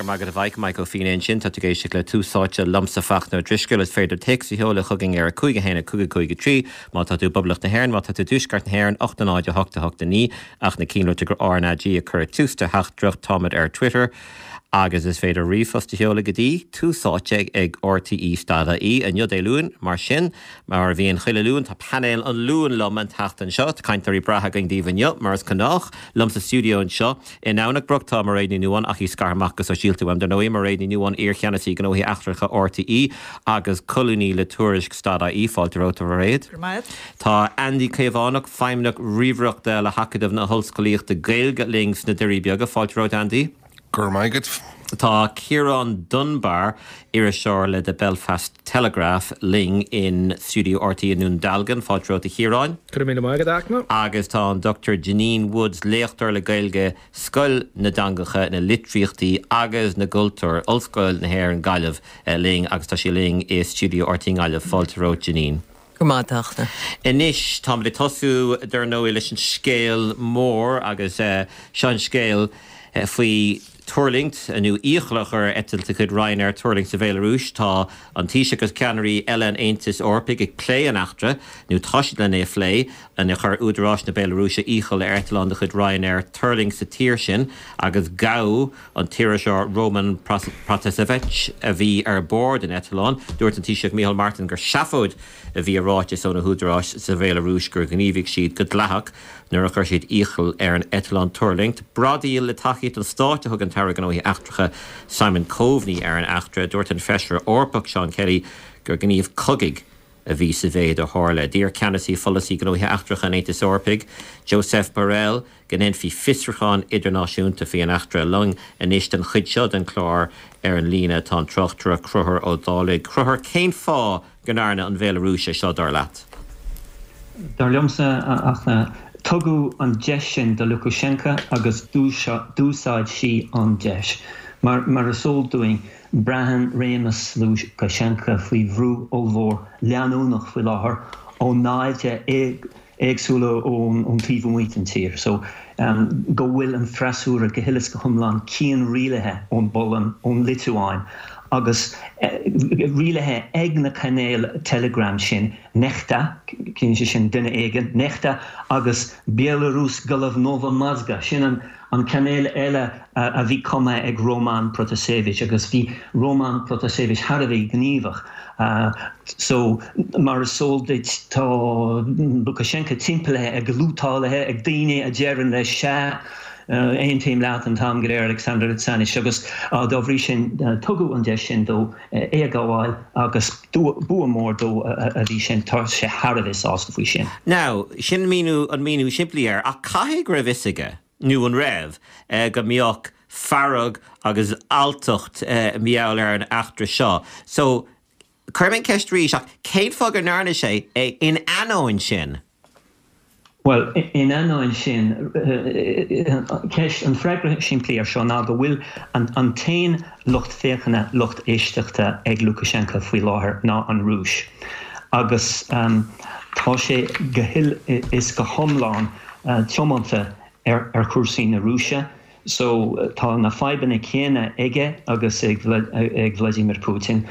Go raibh maith agat a Mhaidhc, Maidhc Ó Fianna ansin. Tá tú ag éisteacht le Tús Áite liomsa Fachtna Ó Drisceoil. Is féidir téacs a sheoladh chugainn ar 5 1 5 5 3 má tá tú i bPoblacht na hÉireann, má tá tú i dTuaisceart na hÉireann, 8 0 8 8 9 ach na cinnlíte gur RnaG a cuireadh tús de theachtaireacht. Táimid ar Twitter agus is féidir ríomhphost a sheoladh go dtí tús áite ag rte stad ie. Inniu Dé Luain, mar sin, mar a bhíonn chuile Luan, tá painéal an Luain liom an tseachtain seo. Tá cainteoirí breátha againn daoibh inniu, mar is gnách, liom sa stiúideo anseo. I nDomhnach Broc tá Mairéad Ní Nuadháin, ach í scartha amach go sóisialta uaim, dar ndóigh, Mairéad Ní Nuadháin, iar-Cheannasaí Gnóthaí Eachtracha RTÉ agus colúnaí le Tuairisc stad IE. Fáilte romhat, a Mhairéad. Go raibh maith agat. Tá Andy Caomhánach, Feidhmeannach Ríomhaireachta le hAcadamh na hOllscolaíochta Gaeilge linn sna Doirí Beaga. Fáilte romhat, Andy. Go raibh maith agat. Tá Ciarán Dunbar, iriseoir le The Belfast Telegraph, linn in stiúideo RTÉ i nDún Dealgan. Fáilte romhat, a Chiaráin. Go raibh míle maith agat, a Fhachtna. Agus tá an Dr Janine Woods, léachtóir le Gaeilge, Scoil na dTeangacha, na Litríochtaí agus na gCultúr, Ollscoil na hÉireann, Gaillimh, linn agus tá sí linn i stiúideo RTÉ i nGaillimh. Fáilte romhat, Janine. Go raibh maith agat, a Fhachtna. Anois, táimid ag tosú, dar ndóigh, leis an scéal mór agus seo an scéal faoi tuirlingt, nó iachall a chur ar eitilt de chuid Ryanair tuirlingt sa Bhéalarúis. Tá an Taoiseach agus ceannairí eile an Aontais Eorpaigh ag plé an eachtra, nó tá siad len é a phlé, inar chuir údaráis na Béalarúise iachall ar eitleán de chuid Ryanair tuirlingt sa tír sin agus gabhadh an t-iriseoir Roman Protasevich a bhí ar bord an eitleáin. Dúirt an Taoiseach Micheál Martin gur seafóid a bhí i ráiteas ó na húdaráis sa Bhéalarúis gur ghníomhaigh siad go dleathach nuair a chuir siad iachall ar an eitleán tuirlingt. Bradaíl le tacaíocht an stáit a thug an tAire Gnóthaí Eachtracha Simon Coveney ar an eachtra. Dúirt an Feisire Eorpach Seán Kelly gur gníomh cogaidh a bhí sa mhéid a tharla. D'iarr ceannasaí pholasaí gnóthaí eachtracha an Aontais Eorpaigh, Josep Borrell, go ndéanfaí fiosrúchán idirnáisiúnta faoi an eachtra. Linn anois don chuid seo den chlár ar an líne tá an tráchtaire Conchúr Ó Dálaigh. Conchúr, cén fáth go ndearna an Bhéalarúis é seo, dar leat? Dar liomsa, a Fhachtna, tugadh an deis sin do Lukashenka agus d'úsáid sí an deis. Mar is eol dúinn, braitheann réimeas Lukashenka faoi bhrú ollmhór leanúnach faoi láthair ó naimhde éagsúla ón taobh amuigh den tír so go bhfuil an freasúra go huile is go hiomlán cianrialaithe ón bPolainn, ón Liotuáin agus rialaithe ag na cainéil Telegram sin, Nechta, ciallaíonn sé sin duine éigin, Nechta agus Belarus Golovnova Mozga, sin an An cainéal eile a bhí cumtha ag Roman Protasevich agus bhí Roman Protasevich thar a bheith gníomhach. So, mar is eol duit, tá Lukashenka timpeallaithe ag lútálaithe, ag daoine a deireann leis, sea, aontaím leat an t-am go léir, Alexander Alexandrovich, agus dá bhrí sin tugadh an deis sin dó é a ghabháil agus bua mór dó a bhí sin. Tá sé thar a bheith sásta faoi sin. Now, sin míniú, an míniú simplí air, ach caithfidh go raibh fhios aige, nó an raibh, go mbeadh fearg agus alltacht mar gheall ar an eachtra seo. So, cuirim an cheist arís, ach cén fáth go ndearna sé é in ainneoin sin? Bhuel, in ainneoin sin, ceist, an freagra simplí air seo ná go bhfuil an t-aon lucht féachana, lucht éisteachta ag Lukashenko faoi láthair ná an Rúis. Agus tá sé go huile is go hiomlán tiomanta ar chúrsaí na Rúise. So, tá na fadhbanna céanna aige agus ag Vladimir Putin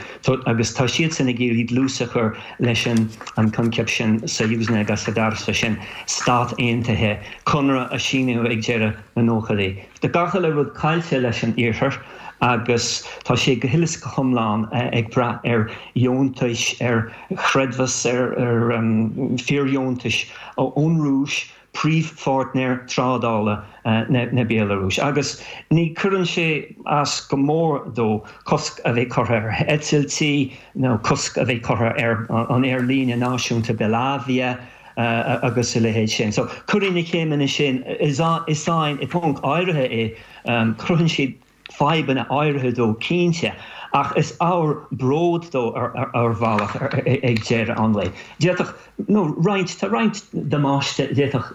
agus tá siadsan ag iarraidh dlús a chur leis an coincheap sin Soyuznoye Gosudarstvo sin, stát aontaithe, conradh a síníodh ag deireadh na nóchaidí. Tá gach uile rud caillte leis an Iarthar agus tá sé go huile is go hiomlán ag brath ar dheontais, ar chreidmheas, ar fíordheontais ón Rúis, príomhpháirtnéir trádála na Béalarúise, agus ní chuireann sé as go mór dó cosc a bheith curtha ar eitiltí nó cosc a bheith curtha ar an aerlíne náisiúnta Belavia agus a leithéid sin. So, cuireann na céimeanna sin i i bponc áirithe é, cruthaíonn siad fadhbanna áirithe dó cinnte, ach is ábhar bróid dó ar bhealach ag deireadh an lae. D'fhéadfadh, nó roinnt, tá roinnt damáiste a d'fhéadfadh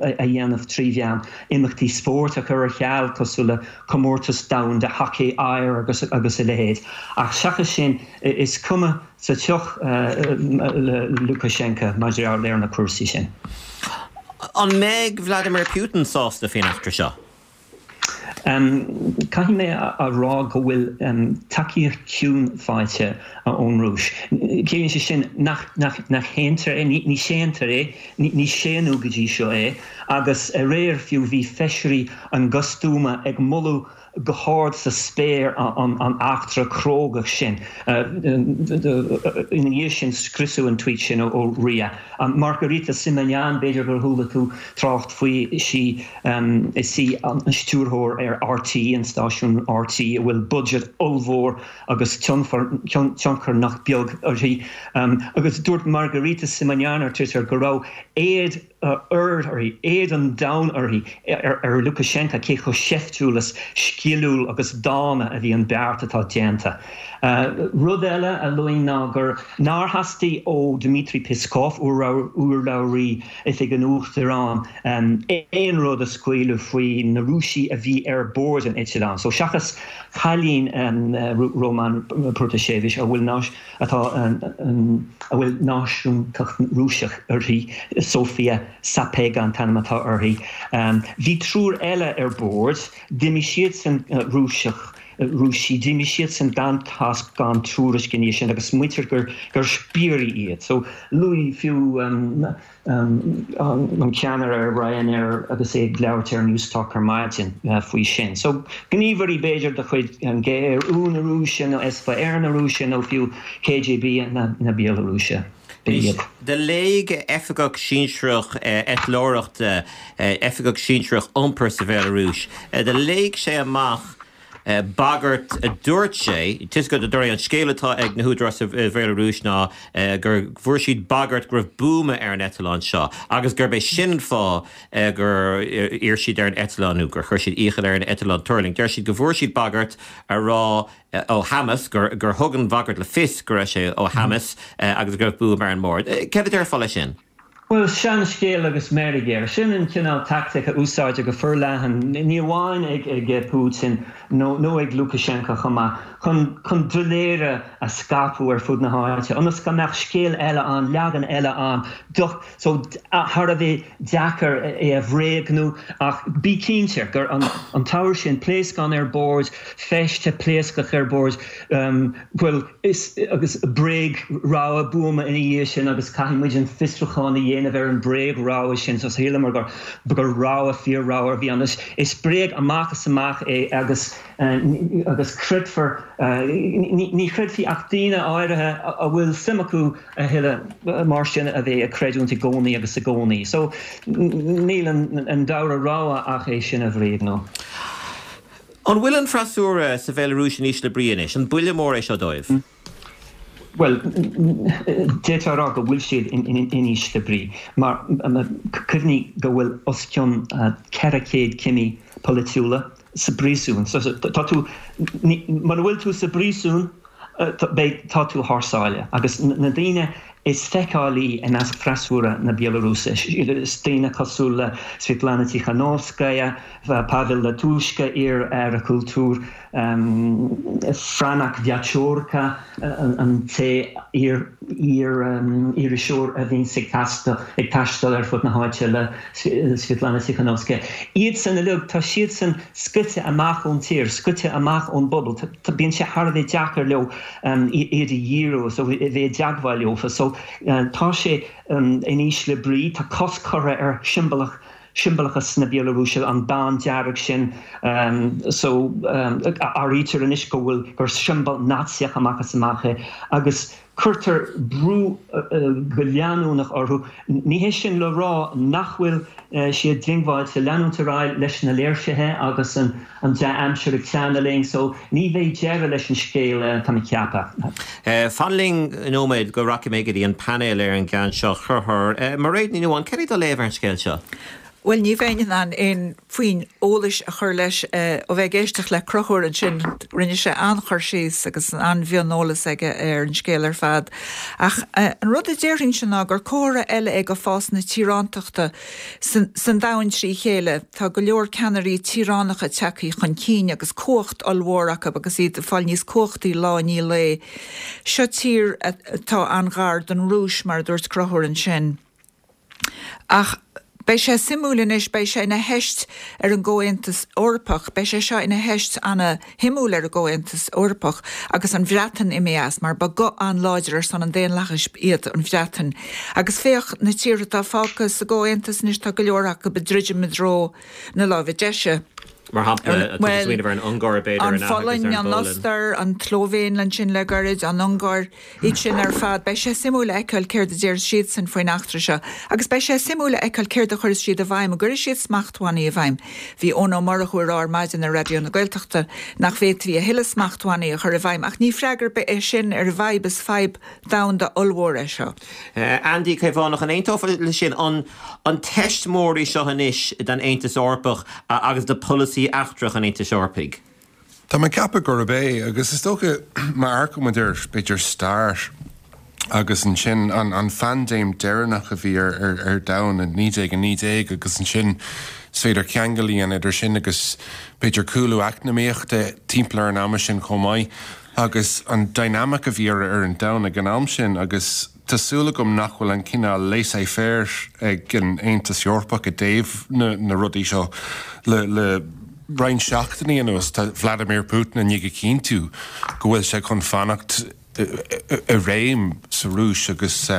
a dhéanamh trí mheán imeachtaí spóirt a chur ar ceal, cosúil le Comórtas Domhanda Hacaí Oighir agus agus a leithéid, ach seachas sin, is cuma sa tsioc le Lukashenka maidir le na cúrsaí sin. An mbeidh Vladimir Putin sásta faoin eachtra seo? Caithfidh mé a rá go bhfuil tacaíocht chiúin faighte ón Rúis. Ciallaíonn sé sin nach shéantar é, ní shéantar é, ní séanadh go dtí seo é, agus aréir fiú bhí feisirí an Gosduma ag moladh go hard sa spéir an eachtra cróga sin. Ina dhiaidh sin scriosadh an tweet sin ó RIA. Margarita Simonyan, b'fhéidir gur chuala tú trácht faoi, is í is í an stiúrthóir ar RT, an stáisiún RT, a bhfuil budget ollmhór agus tionchar nach beag uirthi. Agus dúirt Margarita Simonyan ar Twitter go raibh éad uirthi, éad an domhain uirthi, ar Lukashenka, cé chomh seiftiúil is sciliúil agus dána a bhí an beart atá déanta. Rud eile a luafainn ná gur nár theastaigh ó Dmitry Peskov, urlabhraí Oifig an Uachtaráin, aon rud a scaoileadh faoi na Rúisigh a bhí ar bord an eitleáin. So seachas cailín Roman Protasevich, a bhfuil atá a bhfuil náisiúntacht Rúiseach uirthi, Sofia Sapega an t-ainm atá uirthi. Bhí triúr eile ar bord, d'imigh siadsan Rúiseach, Rúisigh, d'imigh siadsan gan tásc gan tuairisc ina dhiaidh sin agus maítear gur gur spiairí iad. So luaigh fiú an ceannaire ar Ryanair agus é ag labhairt ar Newstalk ar maidin faoi sin. So, gníomhairí b'fhéidir de chuid GRU na Rúise nó SVR na Rúise nó fiú KGB na Béalarúise. B'in iad. Do léigh oifigeach sinsearach eitleoireachta, oifigeach sinsearach iompair sa Bhéalarúis, do léigh sé amach bagairt a dúirt sé, de réir an scéal atá ag na húdaráis sa Bhéalarúis ná gur bhfuair siad bagairt go raibh buama ar an eitleán seo agus gurb é sin an fáth gur iarr siad ar an eitleán nó gur chuir siad iachall ar an eitleán tuirlingt. Deir siad go bhfuair siad bagairt a rá ó Hamas, gur thug an bhagairt le fios go raibh sé ó Hamas agus go raibh buama ar an mbord. Céard a déarfá leis sin? Bhuel, seanscéal agus meirg air. Sin an cineál tactic a úsáidtear go forleathan, ní amháin ag Putin nó ag Lukashenko chomh maith, chun chun doiléire a scaipeadh ar fud na háite, ionas go mbeadh scéal eile ann, leagan eile ann, so thar a bheith deacair é a bhréagnú. Ach bí cinnte gur an t-ábhar sin, pléascán ar bord, feiste pléascach ar bord, bhuel, Is agus bréag-rabhadh buama ina dhiaidh sin agus caithfidh muid an fiosrúchán a dhéanamh ar an bréag-rabhadh sin so shíleamar gur gur rabhadh fíor-rabhadh a bhí ann. Is bréag amach is amach é agus agus creidfear ní chreidfidh ach daoine áirithe a bhfuil suim acu a thuilleadh mar sin a bheith ag creidiúint i gcónaí agus i gcónaí. So níl an dara rogha ach é sin a bhréagnú. An bhfuil an freasúra sa Bhéalarúis in ísle brí anois? An buille mór é seo dóibh? Bhuel, d'fhéadfá a rá go bhfuil siad in ísle brí, mar cuimhnigh go bhfuil os cionn 400 cimí polaitiúla sa bpríosún. So, tá tú, mura bhfuil tú sa bpríosún, beidh, tá tú thar sáile. Agus na daoine is feiceálaí i measc freasúra na Béalarúise, is daoine cosúil le Svetlana Tikhanovskaya, Pavel Latushka, iar-aire cultúir, Franak Viačorka, an té iar-iriseoir a bhíonns ag taisteal ar fud na háite le Svetlana Tikhanovskaya. Iadsan uilig, tá siadsan scoite amach ón tír, scoite amach ón bpobal. Bíonn sé thar a bheith deacair leo iad a dhíriú so a bheith i dteagmháil leofa. So tá sé in ísle brí, tá cosc curtha ar siombalach siombalachas na Béalarúise, an bonn dearg sin. So áirítear anois go bhfuil gur siombail Naitsíoch amach is amach é agus cuirtear brú go leanúnach orthu. Ní hé sin le rá nach bhfuil siad diongbháilte leanúint ar aghaidh leis na léirsithe agus an dea-aimsir ag teannadh linn so ní bheidh deireadh leis an scéal, tá mé ag ceapadh. Fan linn nóiméad go rachaidh mé go dtí an painéal ar an gceann seo. Chonchúir, Mairéad Ní Nuadháin, céard é do léamh ar an scéal seo? Bhuel, ní bheinn in ann aon phuinn eolais a chur leis ó bheith ag éisteacht le Conchúr ansin. Rinne sé an-chur síos agus an-mhioneolas aige ar an scéal ar fad. Ach an rud a déarfainnse ná gur comhartha eile é de fás na tíorántachta san domhan trí chéile. Tá go leor ceannairí tíoránacha tagtha chun cinn agus cumhacht ollmhór acu agus iad ag fáil níos cumhachtaí lá i ndiaidh lae. Seo tír atá an-ghar don Rúis, mar a dúirt Conchúr ansin. Ach. Beidh sé suimiúil anois, beidh sé ina theist ar an gComhaontas Eorpach, beidh sé seo ina theist ana-shuimiúil ar an gComhaontas Eorpach agus an Bhreatain imithe as, mar ba guth an-láidir ar son an daonlathais iad an Bhreatain. Agus féach na tíortha atá fágtha sa gComhaontas anois, tá go leor acu ag druidim i dtreo na láimhe deise. Mar shampla, tá tú ag smaoineamh ar an Ungáir, b'fhéidir, an Pholainn, an Ostair, an tSlóivéin ansin le gairid, an Ungáir. Iad sin ar fad, beidh sé suimiúil a fheiceáil céard a déarfas siadsan faoin eachtra seo. Agus beidh sé suimiúil a fheiceáil céard a chuirfeas siad i bhfeidhm. An gcuirfidh siad smachtbhannaí i bhfeidhm? Bhí Eoin Ó Murchú ag rá ar maidin ar Raidió na Gaeltachta nach bhféadfaí a thuilleadh smachtbhannaí a chur i bhfeidhm ach ní freagra ar bith é sin ar an bhfadhb, is fadhb domhanda ollmhór é seo. Andy Caomhánach, an aontófá leis sin? An teist mór í seo anois don Aontas Eorpach agus do pholasaí eachtrach an Aontais Eorpaigh? Tá mé ag ceapadh gurb é, agus is dócha má amharcann muid ar, b'fhéidir, stair agus ansin an phaindéim deireanach a bhí ar domhan i 1919 agus ansin is féidir ceangal a dhéanamh idir sin agus b'fhéidir cúlú eacnamaíochta timpeall ar an ama sin chomh maith agus an dynamic a bhí ar an domhan ag an am sin agus Tá súil agam nach bhfuil an cineál laissez-faire ag an Aontas Eorpach i dtaobh na rudaí seo. Le roinnt seachtainí anuas, tá Vladimir Putin i ndiaidh a chinntiú go bhfuil sé chun fanacht i réim sa Rúis agus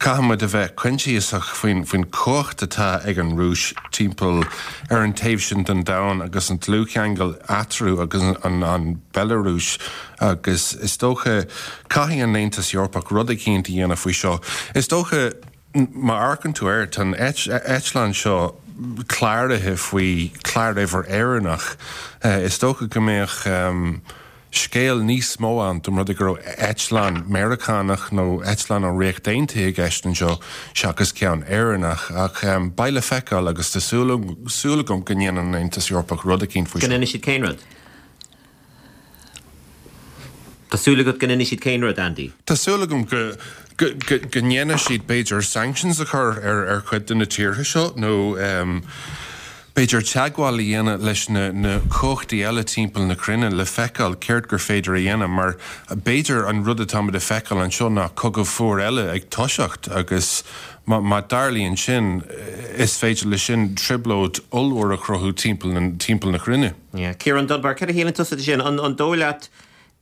caithfidh muid a bheith coinsiasach faoin chumhacht atá ag an Rúis timpeall ar an taobh sin den domhan agus an dlúthcheangal eatarthu agus an Bhealarúis. Agus is dócha, caithfidh an Aontas Eorpach rud eicínt a dhéanamh faoi seo. Is dócha, má amharcann tú air, tá an eitleán seo cláraithe faoi chláruimhir Éireannach. Is dócha go mbeadh scéal níos mó ann dá mba rud é go raibh eitleán Meiriceánach nó eitleán ón Ríocht Aontaithe i gceist anseo seachas ceann Éireannach. Ach beidh le feiceáil agus tá súil agam go ndéanann an Aontas Eorpach rud eicínt faoi seo. Go ndéanfaidh siad cén rud? Tá súil agat go ndéanfaidh siad cén rud, Andy? Tá súil agam go, go, go, go ndéanfaidh siad b'fhéidir sanctions a chur ar, ar chuid de na tíortha seo nó ehm b'fhéidir teagmháil a dhéanamh leis na, na cumhachtaí eile timpeall na cruinne le feiceáil céard gur féidir a dhéanamh mar b'fhéidir an rud atáimid a feiceáil anseo ná cogadh fuar eile ag toiseacht agus má, má tarlaíonn sin is féidir leis sin trioblóid ollmhór a chruthú timpeall na, timpeall na cruinne. Yeah. Ciarán Dunbar, céard a shíleann tusa de sin? An dóigh leat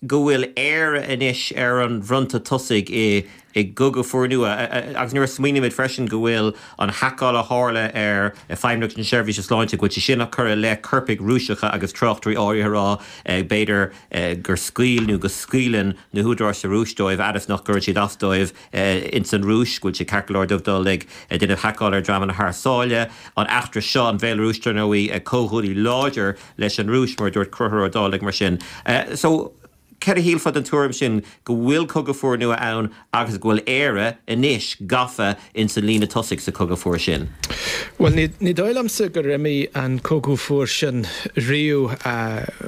go bhfuil Éire anois ar an bhfronta tosaigh i i gcogadh fuar nua? Agus nuair a smaoinímid freisin go bhfuil an haiceáil a tharla ar Feidhmeannacht na Seirbhíse Sláinte, go bhfuil sé sin á cur i leith coirpigh Rúiseacha agus tráchtairí áirithe ag rá b'fhéidir gur scaoil nó go scaoileann na húdaráis sa Rúis dóibh fhad is nach gcuireann siad as dóibh ins an Rúis, go bhfuil sé ceart go leor dóibh dul ag déanamh haiceáil ar dhreamanna thar sáile. An eachtra seo, an Bhéalarúis, dar ndóigh, comhghuaillí láidir leis an Rúis, mar a dúirt Conchúr Ó Dálaigh, mar sin. So, céard a shílfeá den tuairim sin go bhfuil cogadh fuar nua ann agus go bhfuil Éire anois gafa ins an líne tosaigh sa chogadh fuar sin? Bhuel, ní dóigh liomsa gur imigh an cogadh fuar sin riamh,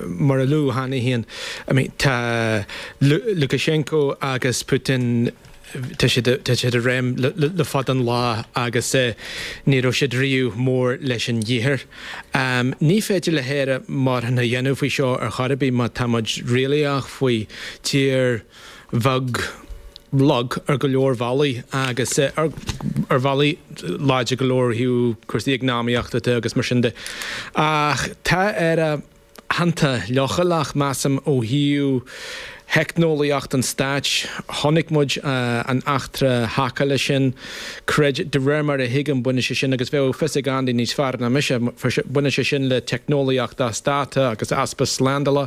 mar a luadh cheana féin. I mean, tá Lukashenko agus Putin, tá siad, tá siad i réim le fada an lá agus ní raibh siad riamh mór leis an díothar. Ní féidir le hÉire mórán a dhéanamh faoi seo ar chor ar bith má tá muid réalaíoch faoi tír bheag lag ar go leor bhealaí agus ar bhealaí láidir go leor ó thaobh cúrsaí eacnamaíochta de agus mar sin de. Ach tá Éire iontach leochaileach, measaim, ó thaobh theicneolaíocht an stáit. Chonaic muid an eachtra haiceála sin. Creid, de réir mar a thuigim, baineann sé sin, agus bheadh fios ag Andy níos fearr ná mise, baineann sé sin le teicneolaíocht as dáta agus easpa slándála.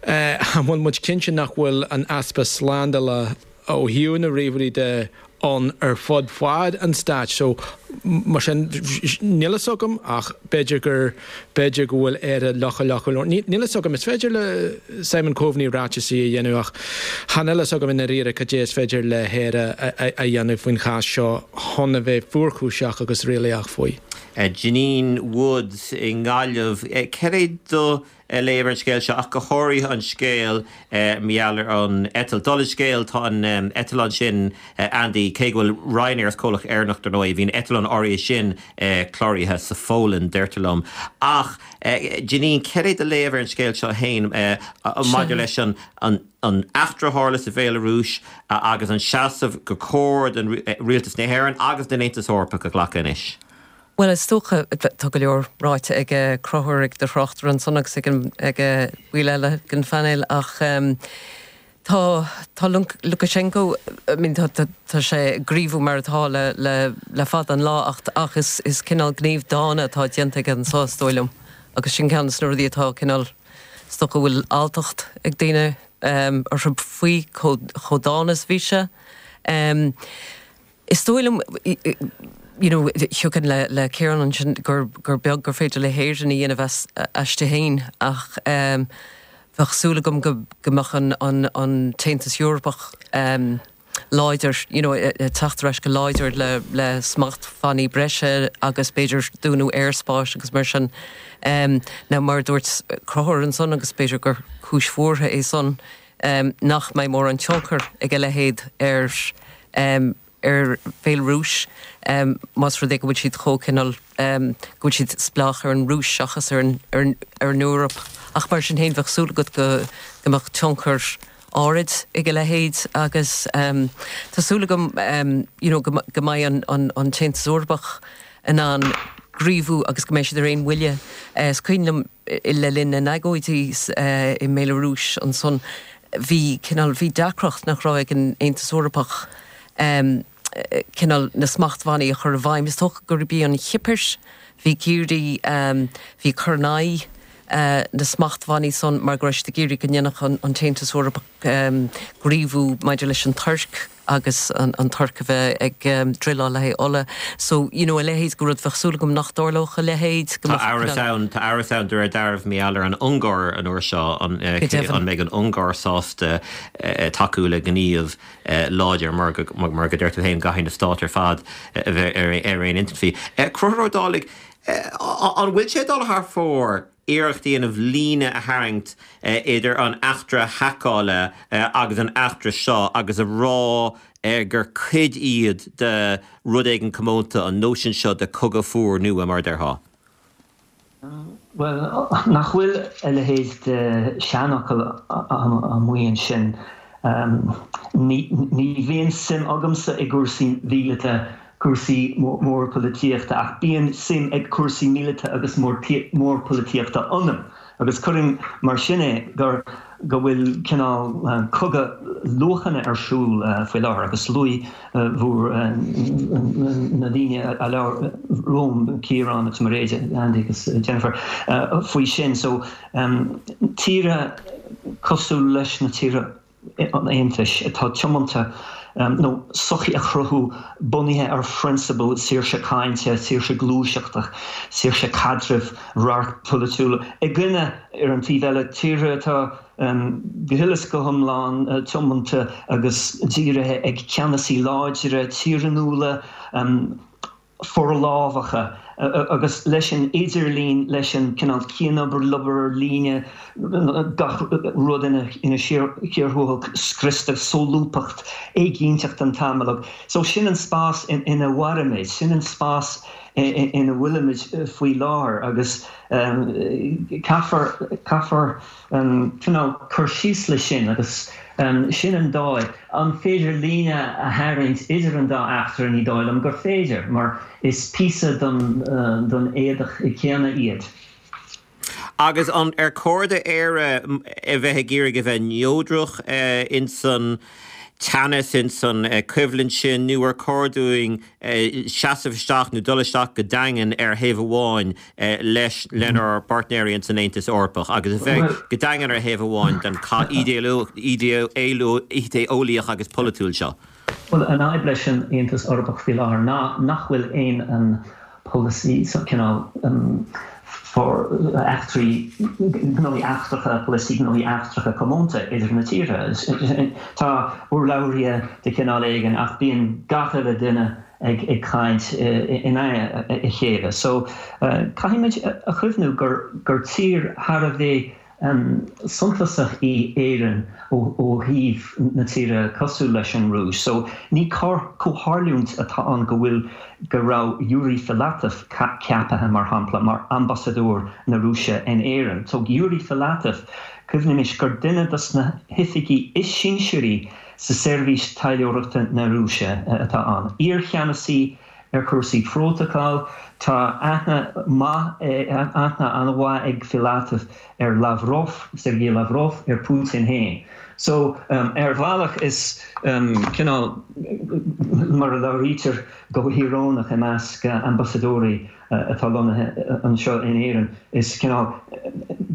An bhfuil muid cinnte nach bhfuil an easpa slándála ó thaobh na ríomhairí de ann ar fud fad an stáit. So, mar sin, níl fhios agam ach b'fhéidir gur, b'fhéidir go bhfuil Éire leochaileach go leor. Níl fhios agam, is féidir le Simon Coveney ráiteasaí a dhéanamh ach chan fhuil fhios agam i ndáiríre cad é is féidir le hÉire a dhéanamh faoin chás seo chun a bheith fuarchúiseach agus réalaíoch faoi. Janine Woods i nGaillimh, cad é do léamh ar an scéal seo, ach go háirithe an scéal mar gheall ar an eitilt. Dála an scéil, tá an eitleán sin, Andy, cé go bhfuil Ryanair is comhlacht Éireannach dar ndóigh, bhí an eitleán áirithe sin cláraithe sa Pholainn, deirtear liom. Ach, Janine, cad é do léamh ar an scéal seo féin maidir leis an an eachtra a tharla sa Bhéalarúis agus an seasamh gur chóir do rialtas na hÉireann agus don Aontas Eorpach a ghlacadh anois? Bhuel, is dócha, tá go leor ráite ag Conchúr, ag do thráchtaire ansan agus ag baill eile den phainéal ach tá, tá Lukashenko, I mean tá, tá sé ag gníomhú mar atá le, le, le fada an lá ach, ach is, is cineál gníomh dána atá déanta aige anso is dóigh liom agus sin ceann de na rudaí atá cineál, is dócha go bhfuil alltacht ag daoine orthu faoi chomh, chomh dána is bhí sé. Is dóigh liom, you know, thiocfainn le le Ciarán ansin gur gur beag gur féidir le hÉirinn a dhéanamh as aisti féin ach bheadh súil agam go go mbeadh an an an tAontas Eorpach láidir, you know, ag teacht ar ais go láidir le le smachtbhannaí breise agus b'fhéidir dúnadh aerspáis agus mar sin. Now mar a dúirt Conchúr ansan agus b'fhéidir gur cúis bhuartha é san, nach mbeidh mórán tionchar ag a leithéid ar ar Bhéalarúis más rud é go bhfuil siad chomh cineál, go bhfuil siad spleách ar an Rúis seachas ar an ar an Eoraip. Ach mar sin féin bheadh súil agat go go mbeadh tionchar áirid ag a leithéid agus tá súil agam you know go go mbeidh an an an tAontas Eorpach in ann gníomhú agus go mbeidh siad ar aon bhuille. Is cuimhin liom Le linn na n-agóidí i mBéalarúis ansan bhí cineál, bhí deacracht nach raibh ag an Aontas Eorpach cineál na smachtbhannaí a chur i bhfeidhm. Is dócha gurb í an Chipir, bhí ag iarraidh, bhí ag cur in aghaidh na smachtbhannaí san mar go raibh siad ag iarraidh go ndéanfadh an tAontas Eorpach gníomhú maidir leis an Tuirc agus an Tuirc a bheith ag druileáil le haghaidh ola. So, you know, a leithéid de rud, bheadh súil agam nach dtarlódh a leithéid, go Tá mbeadh amhras ann, tá amhras ann de réir dealraimh mar gheall ar an Ungáir an uair seo, an Go deimhin. an mbeidh an Ungáir sásta tacú le gníomh láidir mar go, mar go deir tú féin, go gcaithfidh na stáit ar fad a bheith ar ar aon intinn faoi. Conchúr Ó Dálaigh, an bhfuil sé ag dul thar fóir iarracht a dhéanamh líne a tharraingt idir an eachtra haiceála agus an eachtra seo agus a rá gur cuid iad de rud éigin comónta, an nóisean seo de cogadh fuar nua, mar a déarfá. Bhuel, nach bhfuil a leithéid de sheanfhocal amuigh ansin? Ní bhíonn suim agamsa i gcúrsaí míleata cúrsaí mórpholaitíochta, ach bíonn suim ag cúrsaí míleata agus mórpholaitíochta ionam, agus cuirfinn mar sin é, gur, go bhfuil cineál cogadh luachanna ar siúl faoi láthair, agus luaigh bhur, na daoine a labhair romham, Ciarán agus Mairéad, Andy agus Jennifer, faoi sin. So, tíortha cosúil leis na tíortha. an Aontais atá tiomanta nó sochaí a chruthú bunaithe ar phrionsabail saoirse cainte, saoirse gluaiseachta, saoirse caidrimh, radharc polaitiúil, i gcoinne, ar an taobh eile, tíortha atá go huile is go hiomlán tiomanta agus dírithe ag ceannasaí láidre, tiarnúla. forlámhacha agus leis an idirlíon, leis an cineál cianobair, obair ar líne, gach rud ina chíor thuathail scriosta, solúbthacht, éiginnteacht an t-am uilig. So sin an spás ina mhairimid, sin an spás ina bhfuilimid faoi láthair agus caithfear, caithfear cineál cur síos leis sin agus sin an dóigh. An féidir líne a tharraingt idir an dá eachtra? Ní dóigh liom gur féidir, mar is píosa den éadach céanna iad. Agus an ar chóir d'Éire a bheith ag iarraidh a bheith neodrach insan teannas, insan choimhlint sin, nó ar chóir dúinn seasamh isteach nó dul isteach go daingean ar thaobh amháin leis lenár bpáirtnéirí ins an Aontas Eorpach agus a bheith go daingean ar thaobh amháin den chath idé-eolaíoch agus polaitiúil seo. Bhuel, an fhadhb leis an Aontas Eorpach faoi láthair ná nach bhfuil aon polasaí, cineál eachtraí, gnóthaí eachtracha, polasaí gnóthaí eachtracha comónta idir na tíortha. Tá urlabhraithe de chineál éigin ach bíonn gach uile duine ag caint in aghaidh a chéile. So, caithfimid a chuimhniú gur tír thar a bheith suntasach í Éirinn ó thaobh na tíre cosúil leis an Rúis. So, ní comhtharlúint atá ann go bhfuil, go raibh Yuri Filatov ceaptha, mar shampla, mar ambasadóir na Rúise in Éirinn. So, Yuri Filatov, cuimhnímis gur duine dos na hoifigigh is sinsearaí sa Seirbhís Taidhleoireachta na Rúise atá ann. Iar-cheannasaí. ar chúrsaí prótacail. Tá aithne maith, aithne an-mhaith ag Filatov ar Lavrov, Sergei Lavrov, ar Putin féin. So, ar bhealach is cineál, mar a labhraítear go híorónach i measc ambasadóirí atá lonnaithe anseo in Éirinn, is cineál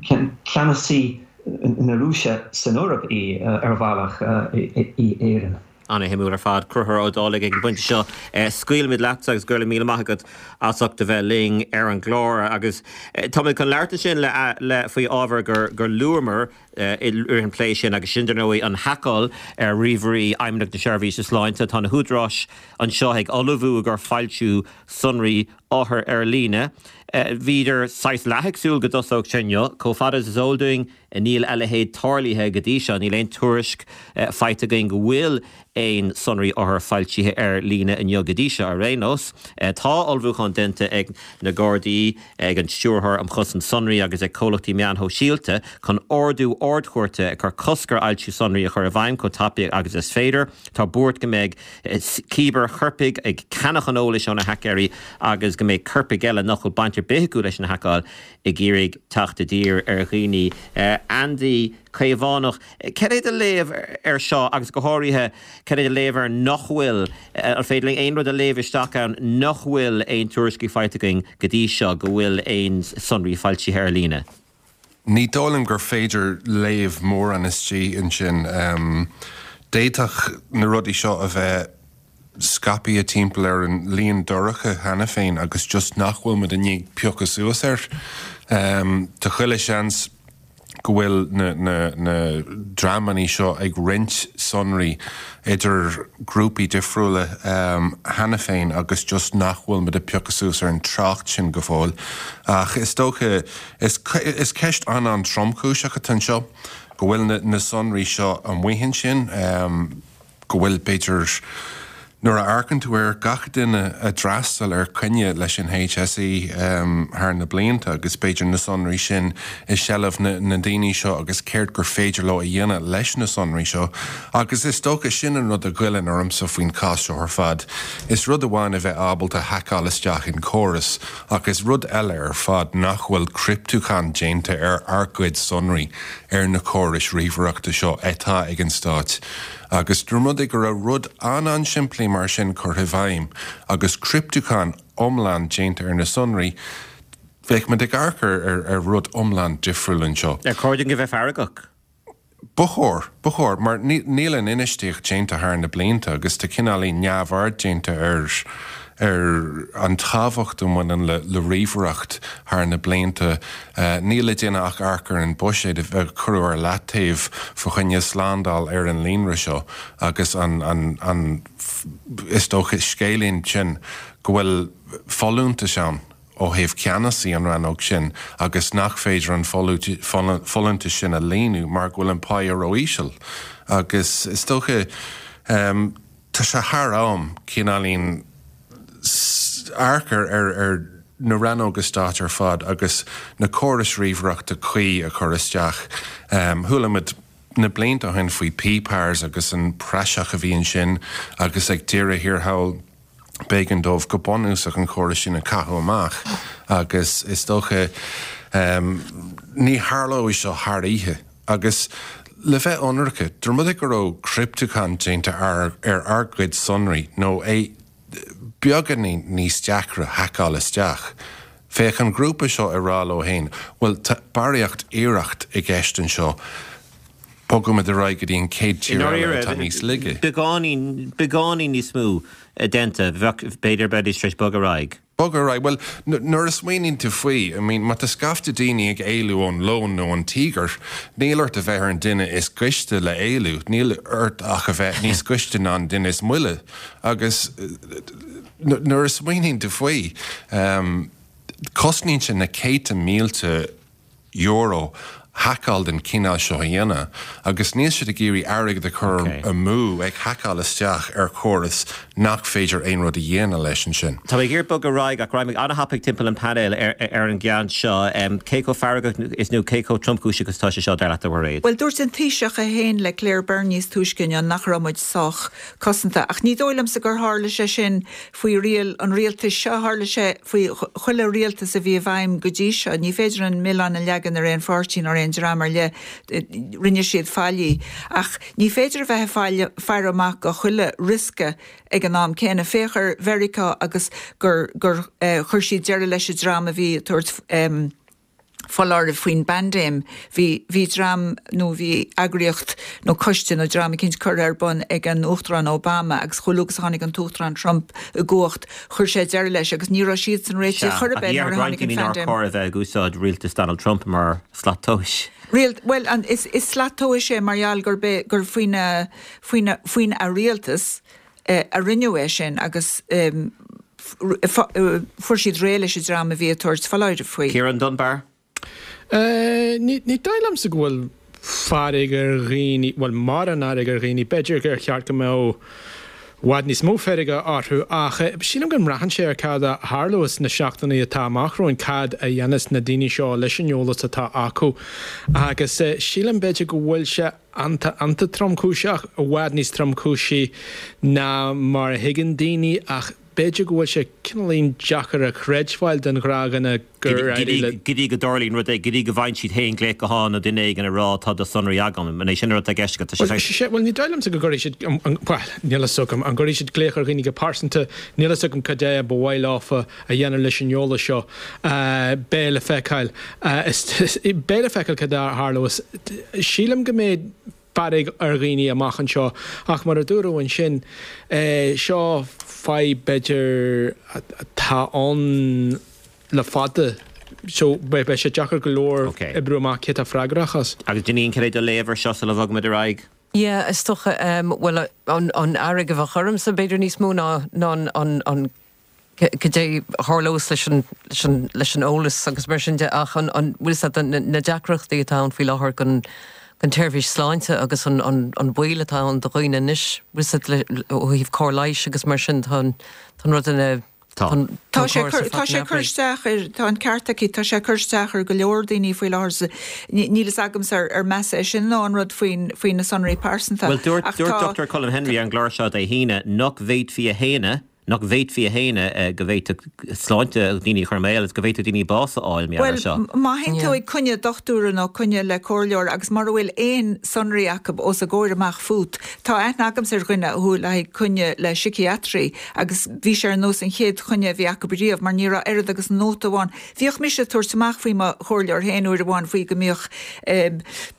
ceannasaí na Rúise san Eoraip í ar bhealach, í Éirinn. Ana-shuimiúil ar fad. Conchúr Ó Dálaigh ag an bpointe seo. Scaoilfimid leatsa agus go raibh míle maith agat as ucht a bheith linn ar an gclár agus táimid chun labhairt ansin le le faoi ábhar gur gur luamar i rith an plé sin agus sin dar ndóigh an haiceáil ar ríomhairí Fheidhmeannacht na Seirbhíse Sláinte. Tá na húdaráis anseo ag ullmhú i gcomhair foilsiú sonraí othar ar líne. Bhíodar saghas leath ag súil go dtosódh sé inniu. Chomh fada is is eol dúinn, níl a leithéid tarlaithe go dtí seo. Níl aon tuairisc faighte againn go bhfuil aon sonraí othar foilsithe ar líne inniu go dtí seo ar aon nós. Tá ullmhúchán déanta ag na Gardaí, ag an Stiúrthóir um Chosaint Sonraí agus ag comhlachtaí meáin shóisialta chun ordú Ard-Chúirte ag cur cosc ar fhoilsiú sonraí a chur i bhfeidhm chomh tapaidh agus is féidir. Tá buairt go mbeidh cibear-choirpigh ag ceannach an eolais ó na haicéirí agus go mbeidh coirpigh eile nach bhfuil baint ar bith acu leis an haiceáil ag iarraidh teacht i dtír ar dhaoine. Andy Caomhánach, cad é do léamh ar seo agus go háirithe cad é do léamh ar nach bhfuil, an féidir linn aon rud a léamh isteach ann nach bhfuil aon tuairiscí faighte againn go dtí seo go bhfuil aon sonraí foilsithe ar líne? Ní dóigh liom gur féidir léamh mórán istigh ansin. D'fhéadfadh na rudaí seo a bheith scaipthe timpeall ar an líon dorcha cheana féin agus just nach bhfuil muid i ndiaidh piocadh suas air. Tá chuile sheans go bhfuil na na dreamanna seo ag roinnt sonraí idir grúpaí difriúla cheana féin agus just nach bhfuil muid ag piocadh suas ar an trácht sin go fóill. Ach is dócha, is ceist an-an-tromchúiseach atá anseo, go bhfuil na sonraí seo amuigh ansin, go bhfuil, b'fhéidir, nuair a amharcann tú ar gach duine a d'fhreastail ar coinne leis an HSE thar na blianta agus b'fhéidir na sonraí sin i seilbh na ndaoine seo agus céard gur féidir leo a dhéanamh leis na sonraí seo agus is dócha sin an rud a ghoilleann ormsa faoin chás seo ar fad. Is rud amháin a bheith ábalta haiceáil isteach in córas ach is rud eile ar fad nach bhfuil criptiúchán déanta ar ár gcuid sonraí ar na córais ríomhaireachta seo atá ag an Stát. Agus dá mba rud é go raibh rud an-an-simplí mar sin curtha i bhfeidhm agus criptiúchán iomlán déanta ar na sonraí, bheadh muid ag amharc ar rud iomlán difriúil anseo. Ar chóir dúinn a bheith feargach? Ba chóir, ba chóir, mar níl an infheistíocht déanta thar na blianta agus tá cineáilín neamhaird déanta ar ar an tábhacht a bhaineann le ríomhaireacht thar na blianta. Níl le déanamh ach amharc ar an buiséad a cuireadh ar leataobh fá choinne slándáil ar an líonra seo agus an, an, is dócha, scéilín sin go bhfuil folúntais ann ó thaobh ceannasaí an rannóg sin agus nach féidir an folúntas sin a líonadh mar go bhfuil an páighe ró-íseal. Agus is dócha. Tá sé thar am cineáilín amharc ar na rannóga stáit ar fad agus na córais ríomhaireachta cuí a chur isteach. Chuala muid na blianta ó shin faoi PPARS agus an praiseach a bhí ansin agus ag deireadh thiar thall b'éigean dóibh go bunúsach an córas sin a chaitheamh amach agus is dócha ní tharlóidh seo thar oíche. Agus le bheith ionraice, dá mba rud é go raibh criptiúchán déanta ar ár gcuid sonraí, nó é beagáinín níos deacra haiceáil isteach, bheadh an grúpa seo ag rá leo féin, bhuel, tá barraíocht iarracht i gceist anseo, bogfaimid ar aghaidh go dtí an chéad tír eile atá níos laige. Beagáinín, beagáinín níos mó déanta, bheadh, b'fhéidir, bheidís tar éis bogadh ar aghaidh. Bogadh ar aghaidh? Bhuel, nuair a smaoiníonn tú faoi, I mean, má tá scaifte daoine ag éalú ón leon nó an tíogar, níl ort a bheith ar an duine is gaiste le éalú, níl ort ach a bheith níos gaiste ná an duine is moille. Agus nuair a smaoiníonn tú faoi, cosnaíonn sé na céadta mílte euro haiceáil den chineál seo a dhéanamh agus níl siad ag iarraidh airgead a chur amú ag haiceáil isteach ar chóras. nach féidir aon rud a dhéanamh leis ansin. Tá mé ag iarraidh bogadh ar aghaidh ach raghaidh mé an-thapaidh timpeall an painéil ar an gceann seo. Cé chomh feargach is nó cé chomh tromchúiseach is atá sé seo, dar leat, a Mhairéad? Bhuel, dúirt an Taoiseach é féin le Claire Byrne níos túisce inniu nach raibh muid sách cosanta. Ach ní dóigh liomsa gur tharla sé sin faoi riail an rialtais seo, tharla sé faoi chuile rialtas a bhí i bhfeidhm go dtí seo. Ní féidir an milleán a leagan ar aon pháirtí ná ar aon dream ar leith, rinne siad faillí. Ach ní féidir a bheith ag faire amach do chuile riosca ag an am céanna. Féach ar Mheiriceá agus gur gur chuir siad deireadh leis an dream a bhí ag tabhairt foláirimh faoin bpaindéim. Bhí, bhí dream nó bhí eagraíocht nó coiste nó dream eicínt curtha ar bun ag an Uachtarán Obama agus chomh luath agus a tháinig an tUachtarán Trump i gcumhacht chuir sé deireadh leis agus ní raibh siadsan réitithe Sea, chor ar ach bith nuair dhéarfadh a roinnt tháinig an daoine nár phaindéim. chóir a bheith ag úsáid rialtas Donald Trump mar slat tomhais. Rialt, bhuel, an, is, is slat tomhais é mar gheall gurb é, gur faoina, faoina, faoina rialtas a rinneadh é sin agus fuair siad réidh leis an dream a bhí ag tabhairt foláirimh faoi. Ciarán Dunbar. Ní dóigh liomsa go bhfuil fearg ar dhaoine, bhuel mórán fhearg ar dhaoine, b'fhéidir gur cheart go mbeadh i bhfad níos mó feirge orthu ach sílim go mbraitheann sé ar cad a tharlós sna seachtainí atá amach romhainn, cad a dhéanfas na daoine seo leis an eolas atá acu agus sílim b'fhéidir go bhfuil sé iontach, iontach tromchúiseach, i bhfad níos tromchúisí ná mar a thuigeann daoine ach b'fhéidir go bhfuil sé cineáilín deacair a chreidbheáil don ghnáthdhuine gur éirigh le. Go dtí go dtarlaíonn rud éigin, go dtí go bhfaigheann siad féin glaoch gutháin nó duine éigin ag rá tá do sonraí agam. An é sin an rud atá i gceist agat? Tá sé Bhuel, saghas. bhuel, ní dóigh liomsa go gcuirfidh siad, bhuel, níl a fhios agam, an gcuirfidh siad glaoch ar dhaoine go pearsanta, níl a fhios agam cad é ba mhaith leofa a dhéanamh leis an eolas seo. Beidh le feiceáil. Beidh le feiceáil cad a tharlós. Sílim go mbeidh fearg ar dhaoine amach anseo ach mar a dúradh ansin, seo fadhb b'fhéidir atá ann le fada so beidh sé deacair go leor oibriú amach cé atá freagrach as. Agus Janine, cad é do léamh ar seo sula bhogfaimid ar aghaidh? Yeah, is dócha, bhuel an fhearg a bheadh ormsa b'fhéidir níos mó ná an cad é a tharlós leis an, leis an, leis an eolas agus mar sin de ach an, an, bhfuil fhios agat, na, na deacrachtaí atá ann faoi láthair don, don tseirbhís sláinte agus an, an, an baol atá ann do dhaoine anois, bhfuil fhios agat, le, ó thaobh cóir leighis agus mar sin, tá an, tá an rud ina, Tá. tá an, tá Tá an sé córas ar cur, tá fad sé in cur aimhréidh. isteach ar, tá an ceart aici, tá sé cur isteach ar go leor daoine faoi láthair sa, ní, níl fhios agamsa ar, ar measa é sin nó an rud faoin, faoi na sonraí pearsanta Bhuel, dúirt, ach dúirt tá, Dochtúir Colm Henry ar an gclár seo Dé hAoine nach bhféadfaí a shéanadh, nach bhféadfaí a shéanadh go bhféadfadh sláinte daoine a chur i mbaol agus go bhféadfadh daoine bás a fháil mar gheall air Bhuel, seo. má théann tú Yeah. ag coinne dochtúra nó coinne le comhairleoir agus mura bhfuil aon sonraí acu os a gcomhair amach fút, tá aithne agamsa ar dhuine a chuaigh le haghaidh coinne le síciatraí agus bhí sé ar nós an chéad choinne a bhí acu riamh mar ní raibh oiread agus nóta amháin. Bhíodh mise ag tabhairt amach faoi mo chomhairleoir féin uair amháin faoi go mbíodh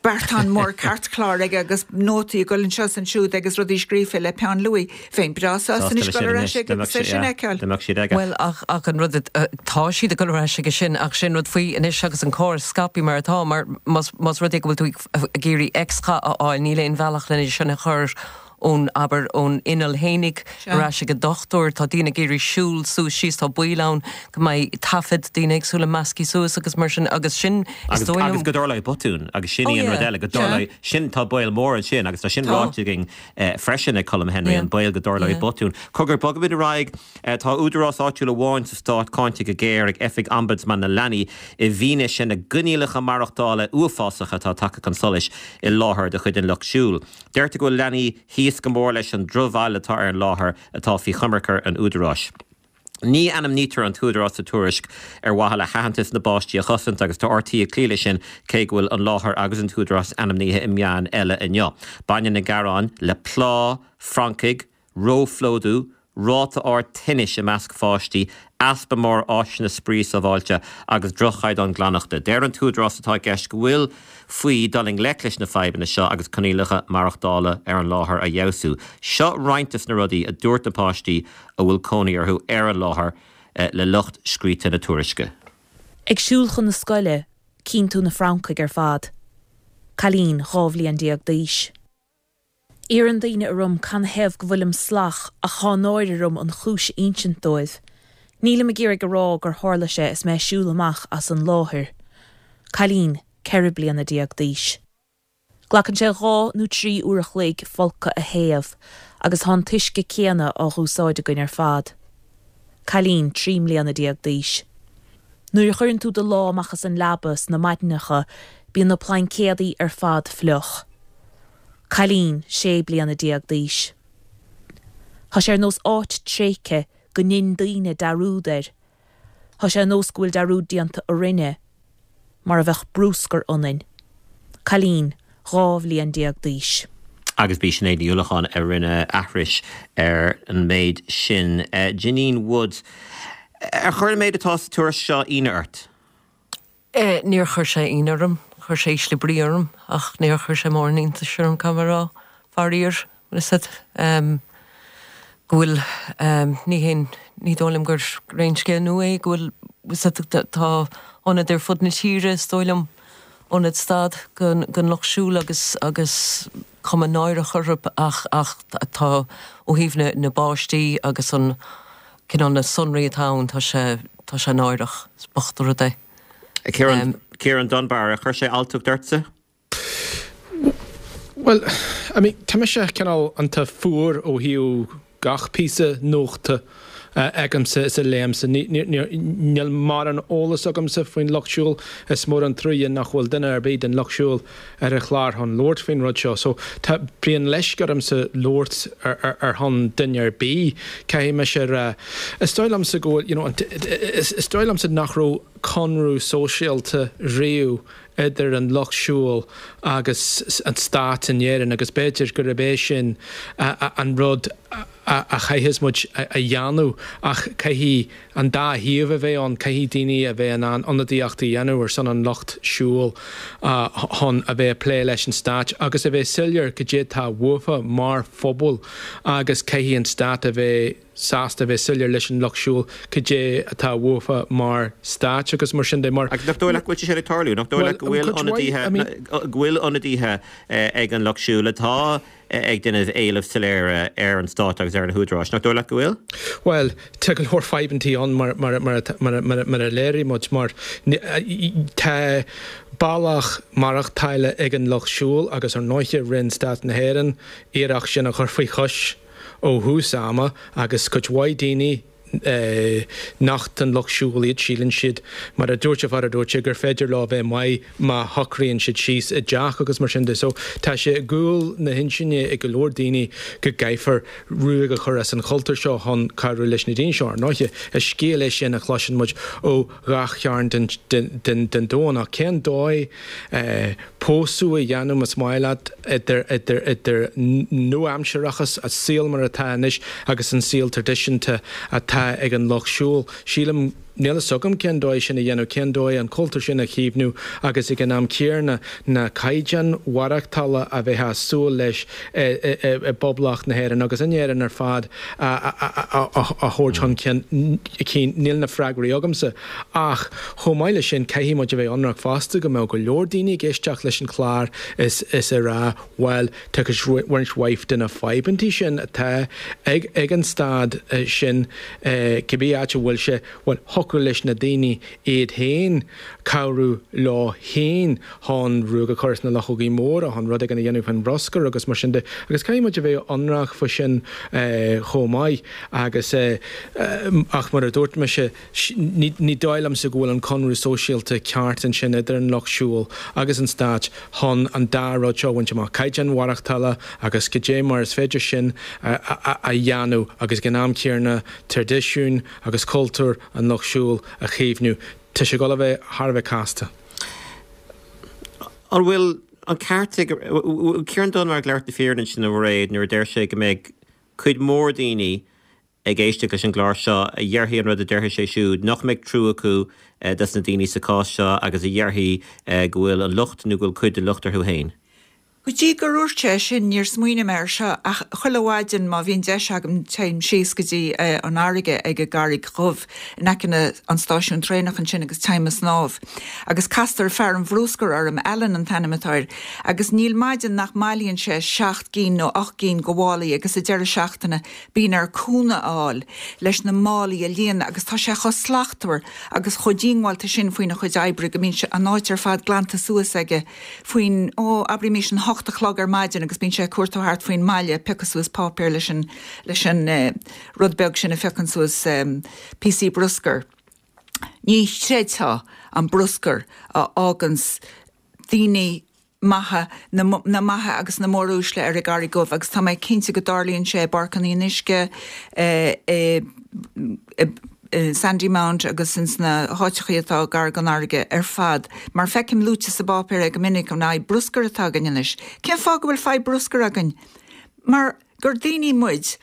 beartán mór cairtchláir aige agus nótaí ag dul anseo is ansiúd agus rudaí scríofa le peann luaidhe. Bheinn breá sásta Sásta anois leis dul sin ar anois, ais aige dá mbeadh agus é sé, sin a yeah, fheiceáil. dá mbeadh siad aige. Bhuel, ach, ach an rud, tá siad ag dul ar ais aige sin, ach sin rud faoi anois agus an córas scaipthe mar atá, mar más, más rud é go bhfuil tú ag iarraidh X-gha a fháil, níl aon bhealach lena sin a chur ón, abair, ón inneall fhéinig Sea. ar ais ag an dochtúir. Tá daoine ag iarraidh siúl suas síos, tá baol ann go mbeidh taifead daoine éagsúla measctha suas agus mar sin, agus sin, is Agus, dóigh agus liom. go dtarlóidh botún, agus sin Oh í an rud yeah, eile, go sea. dtarlóidh, sin, tá baol mór ansin agus tá sin Tá. ráite againn freisin ag Colm Henry, an baol go dtarlóidh botún. Cogar, bogaimid ar aghaidh. Tá údarás áitiúil amháin sa stát cáinte go géar ag Oifig Ombudsman na Leanaí i bhfianaise na gcoinníollacha maireachtála uafásacha atá tagtha chun solais i láthair de chuid an Lucht Siúil. Deirtear go bhfuil leanaí thíos go mór leis an drochbhail atá ar an láthair atá faoi choimirce an údaráis. Ní ainmnítear an t-údarás sa tuairisc ar mhaithe le haitheantas na bpáistí a chosaint agus tá RTÉ ag cloí leis sin cé go bhfuil an láthair agus an t-údarás ainmnithe i meáin eile inniu. Baineann na gearáin le plá, francaigh, róphlódú, ráta ard tinnis i measc pháistí, easpa mór áiseanna spraoi sábháilte agus droch-chaighdeán glaineachta. Deir an t-údarás atá i gceist go bhfuil faoi dul i ngleic leis na fadhbanna seo agus coinníollacha maireachtála ar an láthair a fheabhsú. Seo roinnt des na rudaí a dúirt na páistí a bhfuil cónaí orthu ar an láthair le lucht scríte na tuairisce. Ag siúl chun na scoile, cíonn tú na francaigh ar fad. Cailín 12 bhliain d'aois. Iarrann daoine orm canathaobh go bhfuilim salach ach tá náire orm an chúis a insint dóibh. Nílim ag iarraidh a rá gur tharla sé is mé ag siúl amach as an láthair. Cailín 14 bliana d'aois. Glacann sé 2 nó 3 uair a chloig folcadh a théamh. Agus thá an t-uisce céanna á dh'úsáid againn ar fad. Cailín 13 mbliana d'aois. Nuair a chuireann tú do lámh amach as an leaba sna maidineacha bíonn na plaincéadaí ar fad fliuch. Cailín 16 bliana d'aois. Thá sé ar nós áit tréigthe go ndein daoine dearúd air. Thá sé ar nós go bhfuil dearúd déanta orainne. Mar a bheadh brúscar ionainn. Cailín 12 bhliain d'aois. Agus b'í Sinéad Ní Uallacháin a rinne aithris ar an méid sin. Janine Woods, ar chuir an méid atá sa tuairisc seo ionadh ort? Níor chuir sé ionadh orm. Chuir sé ísle brí orm, ach níor chuir sé mórán iontais orm, caithfidh mé a rá. Faraor, bhfuil a fhios agat, go bhfuil, ní haon, ní dóigh liom gur aon scéal nua é go bhfuil, bhfuil a fhios agat, tá ionaid ar fud na tíre, is dóigh liom, ionaid stad don lucht siúil agus, agus cuma náireach orthu ach, ach tá, ó thaobh na, na bpáistí agus an cineál na sonraí atá ann, tá sé, tá sé náireach, is bocht an rud é. Ciarán, Ciarán Dunbar, ar chuir sé alltacht ortsa? Bhuel, I mean, tá mise cineál iontach fuar ó thaobh gach píosa nuachta a fheicimse is a léimse. Níl mórán eolas agamsa faoin Lucht Siúil. Is mór an truaighe nach bhfuil duine ar bith den Lucht Siúil ar an chlár chun labhairt faoin rud seo. So, tá, bíonn leisce ormsa labhairt ar shon duine ar bith, caithfidh mise a rá. Is dóigh liomsa go bhfuil, you know, is dóigh liomsa nach raibh conradh sóisialta riamh idir an Lucht Siúil agus an stát in Éirinn agus b'fhéidir gurb é sin an rud a chaithfeas muid a dhéanamh ach caithfidh an dá thaobh a bheith ann, caithfidh daoine a bheith in ann ionadaíocht a dhéanamh ar son an Lucht Siúil chun a bheith ag plé leis an stát agus a bheith soiléir cad é atá uafa mar phobal agus caithfidh an stát a bheith sásta a bheith soiléir leis an Lucht Siúil cad é atá uafa mar stát agus mar sin de. Mar. Agus nach dóigh leat go bhfuil sé sin ag tarlú? Nach dóigh leat go bhfuil ionadaithe, go bhfuil ionadaithe ag an Lucht Siúil atá ag déanamh éilimh soiléire ar an stát agus ar na húdaráis? Nach dóigh leat go bhfuil? Bhuel, tá go leor fadhbantaí ann mar, mar, mar, mar, mar, mar a léirigh muid, mar tá bealach maireachtála ag an Lucht Siúil agus ar ndóiche rinne Stát na hÉireann iarracht sin a chur faoi chois. ó thús ama agus cuid mhaith daoine nach den Lucht Siúil iad, síleann siad, mar a dúirt an fear a dúirt sé, gur féidir leo a bheith maith má shocraíonn siad síos i dteach agus mar sin de. So tá sé i gcúl na hintinne ag go leor daoine go gcaithfear ruaig a chur as an chultúr seo chun cabhrú leis na daoine seo. Ar ndóiche, is scéal é sin a chloiseann muid ó ghach chearn den domhan ach cén dóigh pósadh a dhéanamh más maith leat idir idir idir nua-aimsearachas, an saol mar atá anois agus an saol traidisiúnta atá ag an lucht siúil. Sílim, níl fhios agam cén dóigh sin a dhéanamh, cén dóigh an cultúr sin a chaomhnú agus ag an am céanna na caighdeáin mhaireachtála a bheifeá ag súil leis i bPoblacht na hÉireann agus in Éirinn ar fad a thabhairt chun cinn. Níl na freagraí agamsa. Ach chomh maith leis sin, caithfidh muid a bheith ionraic fosta go mbeadh go leor daoine ag éisteacht leis an chlár is is ag rá bhuel, tá roinnt mhaith de na fadhbantaí sin atá ag ag an stad sin, cibé áit a bhfuil sé, bhuel, thiocfadh leis na daoine iad féin cabhrú leo féin chun ruaig a chur as na luchógaí móra, chun rud éigin a dhéanamh faoin bhruscar agus mar sin de. Agus caithfidh muid a bheith ionraic faoi sin chomh maith. Agus, ach mar a dúirt mise, ní dóigh liomsa go bhfuil an conradh sóisialta ceart ansin idir an Lucht Siúil agus an Stát chun an dá rud seo a bhaint amach, caighdeán mhaireachtála agus cad é mar is féidir sin a dhéanamh agus ag an am céanna traidisiún agus cultúr an Lucht Siúil a chaomhnú. Tá sé ag dul a bheith thar a bheith casta. An bhfuil an ceart ag Ciarán Dunbar ag labhairt na fírinne ansin a Mhairéad nuair a deir sé go mbeidh cuid mhór daoine ag éisteacht leis an gclár seo a dhéarfaidh an rud a déarfaidh sé siúd, nach mbeidh trua acu dos na daoine sa chás seo agus a dhéarfaidh go bhfuil an locht nó go bhfuil cuid den locht orthu féin. Go dtí gur dhúirt sé sin níor smaoinigh mé air seo ach chuile mhaidin má bhíonn deis agam téim síos go dtí an fharraige ag an gCarraig Dhubh in aice na an stáisiún traenach ansin agus téim ag snámh agus castar fear an bhrúscair orm, Alan an t-ainm atá air, agus níl maidin nach mbailíonn sé seacht gcinn nó ocht gcinn de mhálaí agus sa deireadh seachtaine Bíonn air cúnamh a fháil leis na málaí a líonadh agus tá sé chomh slachtmhar agus chomh díongbháilte sin faoina chuid oibre go mbíonn an áit ar fad glanta suas aige faoin, ó, abraímís an. 8 a chlog ar maidin agus bíonn sé ag cuartú thart faoin mbaile ag piocadh suas páipéar leis an, leis an rud beag sin a phiocann suas píosaí bruscair. Ní chreidfeá an bruscar a fháganns daoine maithe, na, na maithe agus na móruaisle ar an gCarraig Dhubh agus tá mé cinnte go dtarlaíonn sé i bPáirc an Fhionnuisce, i, i, i Sandymount agus ins na háiteachaí atá gar don fharraige ar fad mar feicim luaite sa bpáipéar é go minic, an fhadhb bruscair atá againn anois. Cén fáth go bhfuil fadhb bruscair againn? Mar gur daoine muid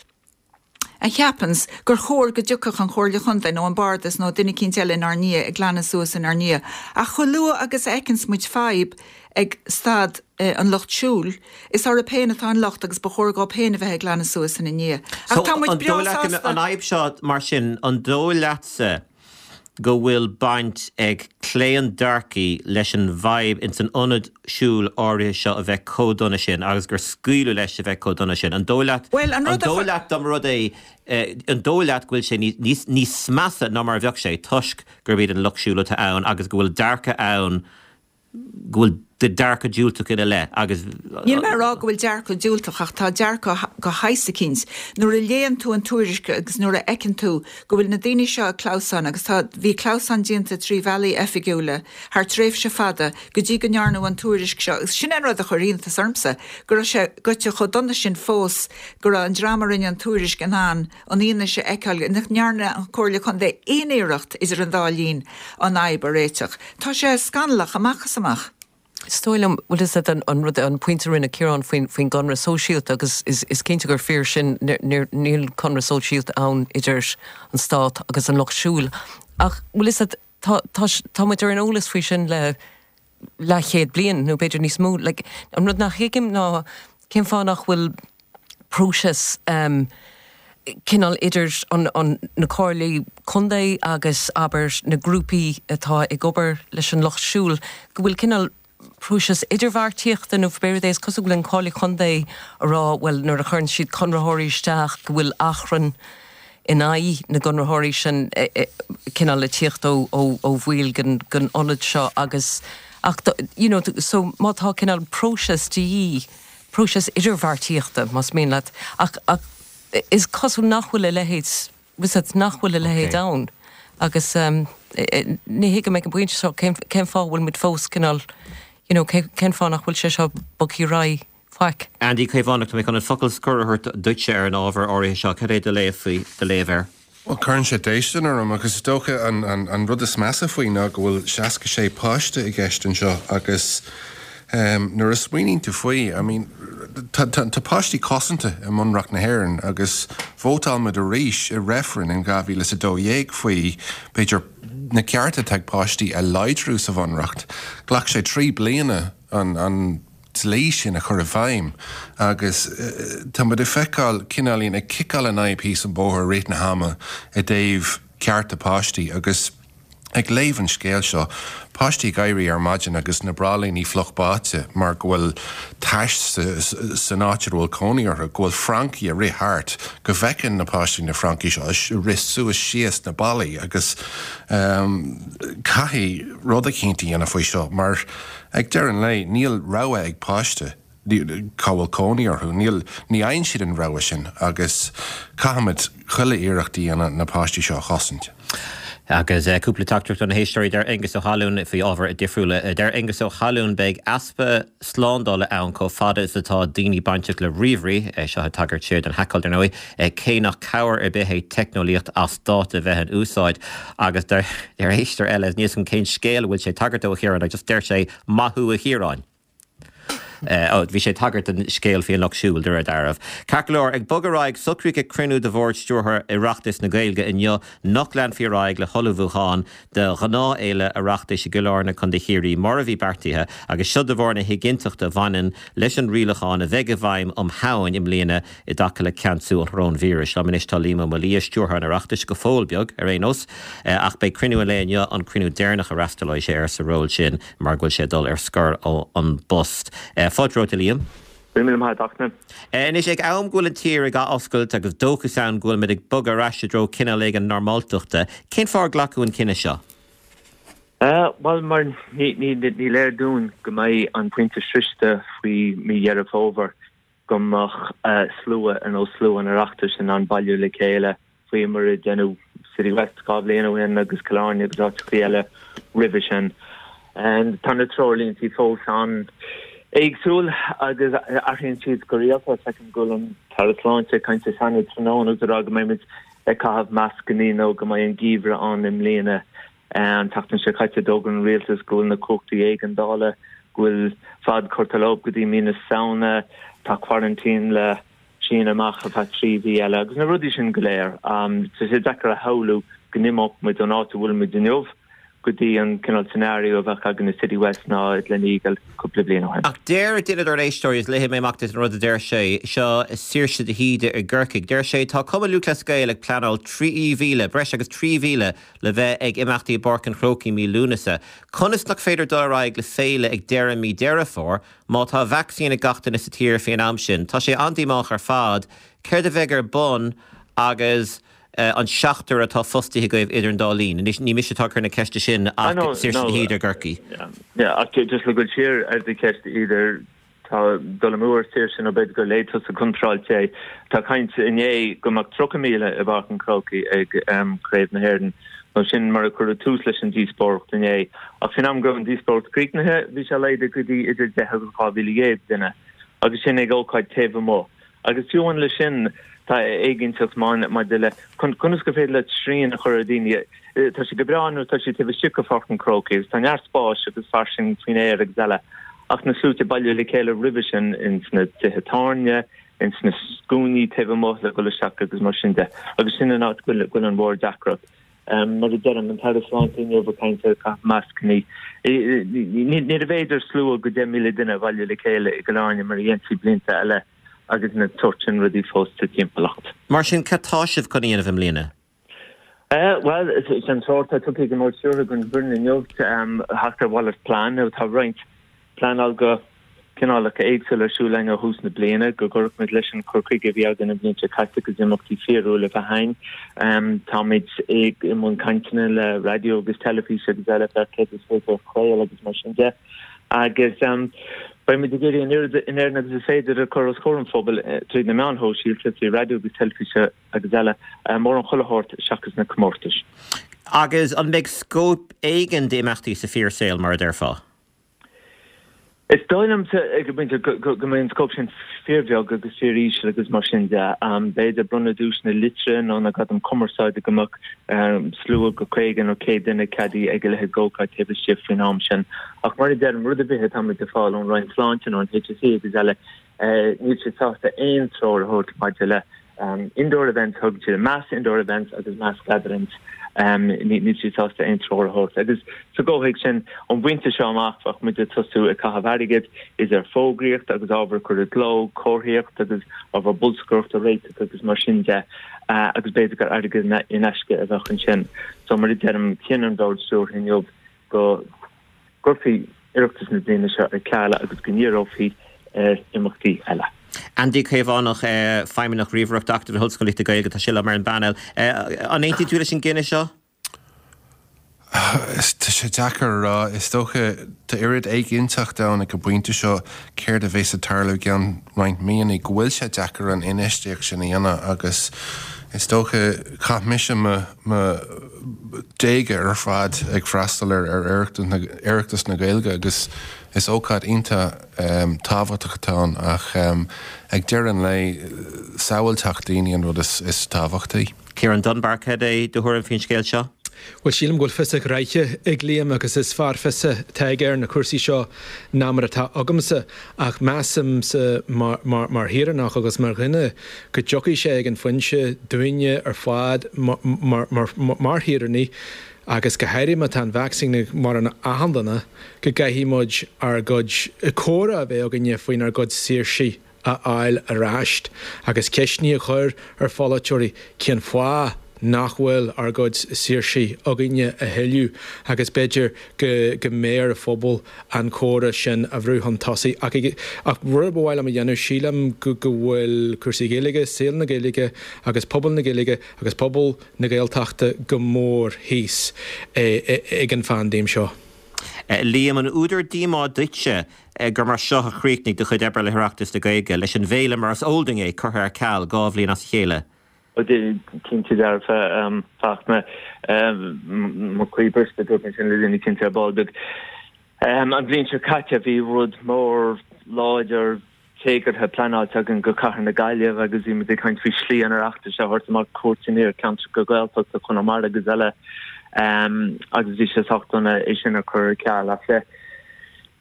a cheapanns gur chóir go dtiocfadh an Chomhairle Chontae nó an Bardas nó duine eicínt eile inár ndiaidh ag glanadh suas inár ndiaidh. Ach chomh luath agus a fheiceanns muid fadhb ag stad an lucht siúil, is orthu féin atá an locht agus ba chóir dhóibh féin a bheith ag glanadh suas ina ndiaidh. Ach tá muid An breá dóigh leat go mbeadh sásta. an fhadhb seo mar sin, an dóigh leatsa go bhfuil baint ag claondearcaí leis an bhfadhb ins an ionad siúil áirithe seo a bheith chomh dona sin agus gur scaoileadh leis a bheith chomh dona sin? An dóigh leat, Bhuel, an an rud a dóigh chuir. leat dá mba rud é, an dóigh leat go bhfuil sé níos, níos measa ná mar a bheadh sé toisc gurb iad an lucht siúil atá ann agus go bhfuil dearcadh ann go bhfuil dearcadh diúltach ina leith agus. Níl mé ag rá go bhfuil dearcadh diúltach ach tá dearcadh de shaghas eicínt. Nuair a léann tú an tuairisc agus nuair a fheiceann tú go bhfuil na daoine seo ag clamhsán agus tá, bhí clamhsán déanta trí bhealaí oifigiúla thar tréimhse fada go dtí go ndearnadh an tuairisc seo agus sin é an rud a chuir iontas ormsa go raibh sé goite chomh dona sin fós go raibh an dream a rinne an tuairisc in ann an fhianaise a fheiceáil nach ndearna an Chomhairle Contae aon iarracht idir an dá linn an fhadhb a réiteach. Tá sé scannalach amach is amach. Is dóigh liom, bhuel is é an rud, an pointe a rinne Ciarán faoin, faoin gconradh sóisialta agus is, is cinnte gur fíor sin, níl conradh sóisialta ann idir an stát agus an lucht siúil. Ach bhuel is é, tá, tá, tá muid ar an eolas faoi sin le leathchéad bliain nó b'fhéidir níos mó. Like, an rud nach thuigim ná cén fáth nach bhfuil próiseas um, cineál idir an, an, na comhairlí contae agus abair na grúpaí atá ag obair leis an lucht siúil, go bhfuil cineál próiseas idirbheartaíochta nó pé rud é, is cosúil go bhfuil an Comhairle Contae ag rá bhuel nuair a chuireann siad conraitheoirí isteach go bhfuil achrann in aghaidh na gconraitheoirí sin cineál ag tíocht ó ó bhaill den den ionad seo agus ach you know so má tá cineál próiseas de dhíth, próiseas idirbheartaíochta más mian leat ach ach is cosúil nach bhfuil a leithéid bhfuil a fhios agat nach bhfuil a leithéid ann agus ní thuigim ag an bpointe seo cén cén fáth a bhfuil muid fós cineál you know cén fáth nach bhfuil sé seo bogtha ar aghaidh faic. Andy Caomhánach, tá mé chun an focal scoir a thabhairt duitse ar an ábhar áirithe seo. Cad é do léamh faoi, do léamh air? Bhuel, cuireann sé déistin orm agus is dócha an, an, an rud is measa faoi ná go bhfuil 66 páiste i gceist anseo agus em, nuair a smaoiníonn tú faoi, I mean, tá, tá, tá páistí cosanta i mBunreacht na hÉireann agus vótáil muid arís i reifreann in 2012 faoi, b'fhéidir, na cearta atá ag páistí a láidriú sa Bhunreacht. Ghlac sé 3 bliana an, an, dlí sin a chur i bhfeidhm agus tá muid ag feiceáil cineáilín ag ciceáil an fhadhb thíos an bóthar i rith na hama i dtaobh cearta páistí agus ag léamh an scéil seo, páistí ag éirí ar maidin agus na bráillíní fliuch báite mar go bhfuil tais san áit a bhfuil cónaí orthu, go bhfuil francaigh ag rith thart, go bhfeiceann na páistí na francaigh seo ag rith suas síos na ballaí agus caithfidh rud eicínt a dhéanamh faoi seo mar Ag deireadh an lae, níl rogha ag páiste cá bhfuil cónaí orthu. Níl, ní fhaigheann siad an rogha sin agus caithfimid chuile iarracht a dhéanamh na páistí seo a chosaint. Agus cúpla teachtaireacht ó na héisteoirí, deir Aengus Ó hAlúin faoi ábhair difriúla. Deir Aengus Ó hAlúin, Beidh easpa slándála ann chomh fada is atá daoine bainteach le ríomhairí, seo ag tagairt siar don haiceáil dar ndóigh, cé nach cabhair ar bith é teicneolaíocht as dáta a bheith in úsáid. Agus deir éisteoir eile, níl 'fhios agam cén scéal a bhfuil sé ag tagairt dó a Chiaráin, ach just deir sé, maith thú a Chiaráin. Ó, bhí sé ag tagairt don scéal faoi an Lucht Siúil, de réir dealraimh. Ceart go leor, ag bogadh ar aghaidh, socraíodh ag cruinniú de Bhord Stiúrtha Oireachtas na Gaeilge inniu nach leanfaí ar aghaidh le hullmhúchán do ghnáthfhéile Oireachtais i gCill Airne, Contae Chiarraí, mar a bhí beartaithe, agus seo de bharr na héiginnteachta a bhaineann leis an rialachán a bheidh i bhfeidhm um Shamhain i mbliana i dtaca le ceansú an choróinvíris. Liom anois tá Liam Ó Maolaodha, Stiúrthóir an Oireachtais, go fóill beag, ar aon nós, ach beidh cruinniú an lae inniu an cruinniú deireanach a fhreastalóidh sé air sa ról sin mar go bhfuil sé ag dul ar scor ón bpost. Fáilte romhat, a Liam. Go raibh míle maith agat, a Fhachtna. Anois, ag am go bhfuil an tír ag athoscailt agus dóchas ann go bhfuil muid ag bogadh ar ais i dtreo cineál éigin normáltachta, cén fáth ar glacadh an cinneadh seo? Bhuel, mar ní léir dúinn go mbeidh an pointe sroichte faoi mí Dheireadh Fómhair go mbeadh slua ar nós slua an Oireachtais in ann bailiú le chéile faoi mar a deineadh Citywest 2 bhliain ó shin agus Cill Airne agus áiteachaí eile roimhe sin. Tá na treoirlíntí fós an-éagsúil agus athraíonn siad go rialta. Feicim go bhfuil an tAire Sláinte ag caint sa Seanad tráthnóna agus ag rá go mbeimid ag caitheamh mascannaí nó go mbeidh an geimhreadh ann i mbliana. An tseachtain seo caite d'fhógair an rialtas go bhfuil na cumhachtaí éigeandála, go bhfuil fad curtha leo go dtí mí na Samhna, tá quarantine le síneadh amach ar feadh 3 mhí eile agus na rudaí sin go léir. Tá sé deacair a shamhlú go n-imeodh muid ón áit a bhfuil muid inniu go dtí an cineál scenario a bheadh againn i Citywest ná i Gleneagle cúpla bliain ó shin. Ach deir duine dár n-éisteoirí, is léifidh mé amach duit an rud a deir sé, seo Saoirse de hÍde i gCorcaigh, deir sé, tá Cumann Lúthchleas Gael ag pleanáil 3,000, breis agus 3,000 le bheith ag imeachtaí i bPáirc an Chrócaigh mí Lúnasa. Conas nach féidir dul ar aghaidh le féile ag deireadh mí Deireadh Fómhair má tá vacsaín ag gach duine sa tír faoin am sin? Tá sé an-díomách ar fad. Céard a bheidh ar bun agus an seachtar atá fostaithe agaibh idir an dá linn? Anois, ní mise atá ag cur na ceiste sin ach Saoirse de hÍde i gCorcaigh. Ach just le goil siar ar do cheist, Íde, Tá dul amú ar Saoirse nó b'fhéidir gur léigh tusa contráilte é. Tá caint inné go mbeadh 30,000 i bPáirc an Chrócaigh ag Craobh na hÉireann, nó sin mar a cuireadh tús leis an díospóireacht inné. Ach faoin am go raibh an díospóireacht críochnaithe, bhí sé laghdaithe go dtí idir 10 agus 12,000 duine, agus sin ag ócáid taobh amuigh. Agus fiú amháin leis sin, tá éiginnteacht maidir le conas gur féidir leat srian a chur ar dhaoine. Tá sé go breá nuair atá siad taobh istigh de Pháirc an Chrócaigh agus tá neart spáis agus fairsing faoin aer agus eile, ach na sluaite bailiú le chéile roimhe sin ins na tithe tábhairne, ins na scuainí taobh amuigh le dhul isteach agus mar sin de. Agus sin an áit go bhfuil an mhór-deacracht. Mar a deirim, an tAire Sláinte inniu ag caint ar caitheamh mascannaí. Níorbh fhéidir slua go 10,000 duine a bhailiú le chéile i gCill Airne mar a dhéantaí blianta eile agus na sórt sin rudaí fós sa timpeallacht. Mar sin, cad tá sibh chun a dhéanamh i mbliana? Bhuel, is é an treoir atá tugtha ag an mBord Stiúrtha don bhfoireann inniu theacht ar mhalairt plean. Tá roinnt pleanáil go cineálacha éagsúla ar siúl againn ó thús na bliana, go gcuirfeadh muid leis an chur chuige a bhí againn an bhliain seo caite agus imeachtaí fíorúla a bheith againn. Táimid i mbun cainteanna le raidió agus teilifís agus eile fé céard is féidir a chraoladh agus mar sin de. Agus beidh muid ag iarraidh an oiread in Éirinn agus is féidir a chur os comhair an phobail tríd na meáin shóisialta, trí raidió agus teilifís agus eile, mórán chuile shórt seachas na comórtais. Agus an mbeidh scóip éigin d'imeachtaí sa fíorshaol, mar a déarfá? Is dóigh liomsa ag an bpointe go mbeidh an scóip sin fíorbheag agus fíoríseal agus mar sin de. B'fhéidir bronnadh duaiseanna liteartha nó na gradaim cumarsáide go mbeadh slua go 50 nó 100 duine ceadaithe ag a leithéid d'ócáid taobh istigh faoin am sin. Ach mar a deirim, rud ar bith atá muid ag fáil ón Roinn Sláinte nó an HSE agus eile, Níl siad sásta aon treoir a thabhairt maidir le indoor events, thug siad mass indoor events agus mass gatherings, níl siad sásta aon treoir a thabhairt. Agus sa gcomhthéacs sin, ón bpointe seo amach, bheadh muid ag tosú ag caitheamh airgid idir fógraíocht agus ábhar a chur i gcló, comharthaíocht agus ábhar bolscaireachta a réiteach agus mar sin de, agus b'fhéidir gur airgead in aisce a bheadh ansin. So mar a deirim, chinn an Bord Stiúrtha inniu go gcuirfí Oireachtas na bliana seo ar ceal agus go ndíreofaí ar imeachtaí eile. Andy Caomhánach, Feidhmeannach Ríomhaireachta, Acadamh na hOllscolaíochta Gaeilge, tá sé liom ar an bpainéal. An aontaíonn tú leis an gcinneadh seo? Tá sé deacair a rá. Is dócha, tá oiread éiginnteacht ann ag an bpointe seo céard a bheas ag tarlú i gceann roinnt míonna go bhfuil sé deacair an infheistíocht sin a dhéanamh agus is dócha chaith mise mo mo déaga ar fad ag freastal ar Oireachtas na Gaeilge agus is ócáid iontach tábhachtach atá ann ach ag deireadh an lae sábháilteacht daoine an rud is tábhachtaí. Ciarán Dunbar, cad é do thuairim faoin scéal seo? Bhuel, sílim go bhfuil fios a ghraithe ag Liam agus is fearr fios atá aige ar na cúrsaí seo ná mar atá agamsa ach measaimse mar shaoránach agus mar dhuine go dtiocfaidh sé ag an phointe dúinne ar fad mar shaoránaigh agus go háirithe má tá an vacsaín ag mórán achan duine go gcaithfidh muid ár gcuid comhrá a bheith againne faoinár gcuid saoirsí a fháil ar ais agus ceisteanna a chur ar pholaiteoirí cén fáth. nach bhfuil ár gcuid saoirsí againne a thuilleadh agus b'fhéidir go go mbeidh ar an phobal an comhrá sin a bhrú chun tosaigh. Ach ach rud ba mhaith liom a dhéanamh, sílim go go bhfuil cúrsaí Gaeilge, saol na Gaeilge agus pobal na Gaeilge agus pobal na Gaeltachta go mór thíos ag an phaindéim seo. Liam, an údar díomá duitse gur mar seo a chríochnaigh do chuid oibre le hOireachtas na Gaeilge, leis an bhféile mar is eol dúinn é curtha ar ceal 2 bhliain as a chéile? Cinnte dearfa, Fachtna. Mo chroí briste, dúirt mé sin le daoine cinnte ar ball beag. An bhliain seo caite bhí rud mór láidir téagartha pleanáilte againn go cathair na Gaillimhe agus bhí muid ag caint faoi Slí an Oireachtais a thabhairt amach cuairteanna ar cheantracha Gaeltachta, Conamara agus eile agus bhí sé sách dona é sin a chur ar ceal ach le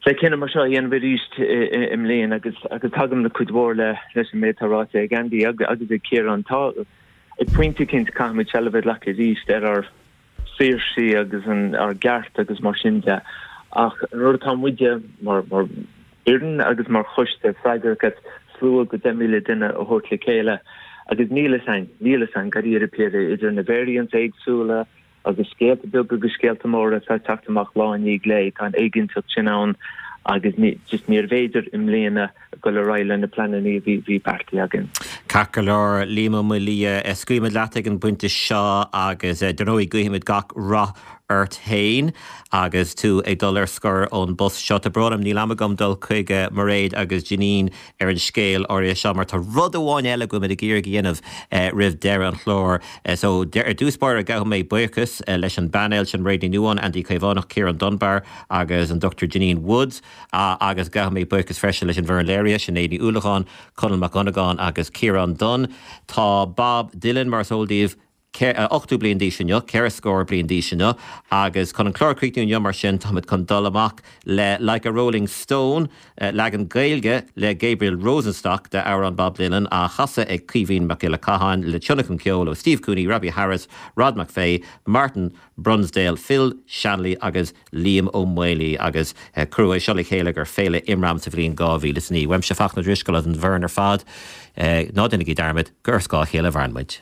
le cinneadh mar seo a dhéanamh arís i mbliana agus agus tagaim le cuid mhór le leis an méid atá ráite ag Andy agus ag Ciarán. Tá ag pointe eicínt caithfimid seilbh a ghlacadh arís ar ár saoirsí agus ár gceart agus mar sin de. Ach an rud atá muide mar fhoireann agus mar choiste freagrach as slua go 10,000 duine a thabhairt le chéile agus níl fhios a'inn, níl fhios a'inn dáiríre píre idir na variants éagsúla agus scéalta beaga agus scéalta móra atá ag teacht amach lá i ndiaidh lae, tá an éiginnteacht sin ann agus just níorbh fhéidir i mbliana dul ar aghaidh le na pleananna a bhí beartaithe againn. Ceart go leor, Liam Ó Maolaodha, scaoilfimid leat ag an bpointe seo agus dar ndóigh guífimid gach rath ort féin agus tú ag dul ar scor ón bpost seo. Tá brón orm, níl am agam dul chuig Mairéad agus Janine ar an scéal áirithe seo mar tá rud amháin eile go bhfuil muid ag iarraidh a dhéanamh roimh deireadh an chláir. So, ar dtús báire gabhfaidh mé buíochas leis an bpainéal sin, Mairéad Ní Nuadháin, Andy Caomhánach, Ciarán Dunbar agus an Dr Janine Woods. Agus gabhfaidh mé buíochas freisin leis an bhfoireann léirithe, Sinéad Ní Uallacháin, Conall Mac Dhonnagáin agus Ciarán Dunne. Tá Bob Dylan, mar is eol daoibh, 80 bliain d'aois inniu, ceithre scór bliain d'aois inniu, agus chun an clár a chríochnú inniu, mar sin, táimid chun dul amach le Like a Rolling Stone, leagan Gaeilge le Gabriel Rosenstock de amhrán Bob Dylan, á chasadh ag Caoimhín Mac Giolla Catháin, le tionlacan ceoil ó Steve Cooney, Robbie Harris, Rod McVeigh, Martin Brunsdale, Phil Shanley agus Liam Ó Maolaodha agus cuireadh é seo le chéile gur Féile Imram sa bhliain 2009. Uaimse Fachtna Ó Drisceoil agus an bhfoireann ar fad, ná déanaigí dearmad gur ar scáth a chéile a mhaireann muid.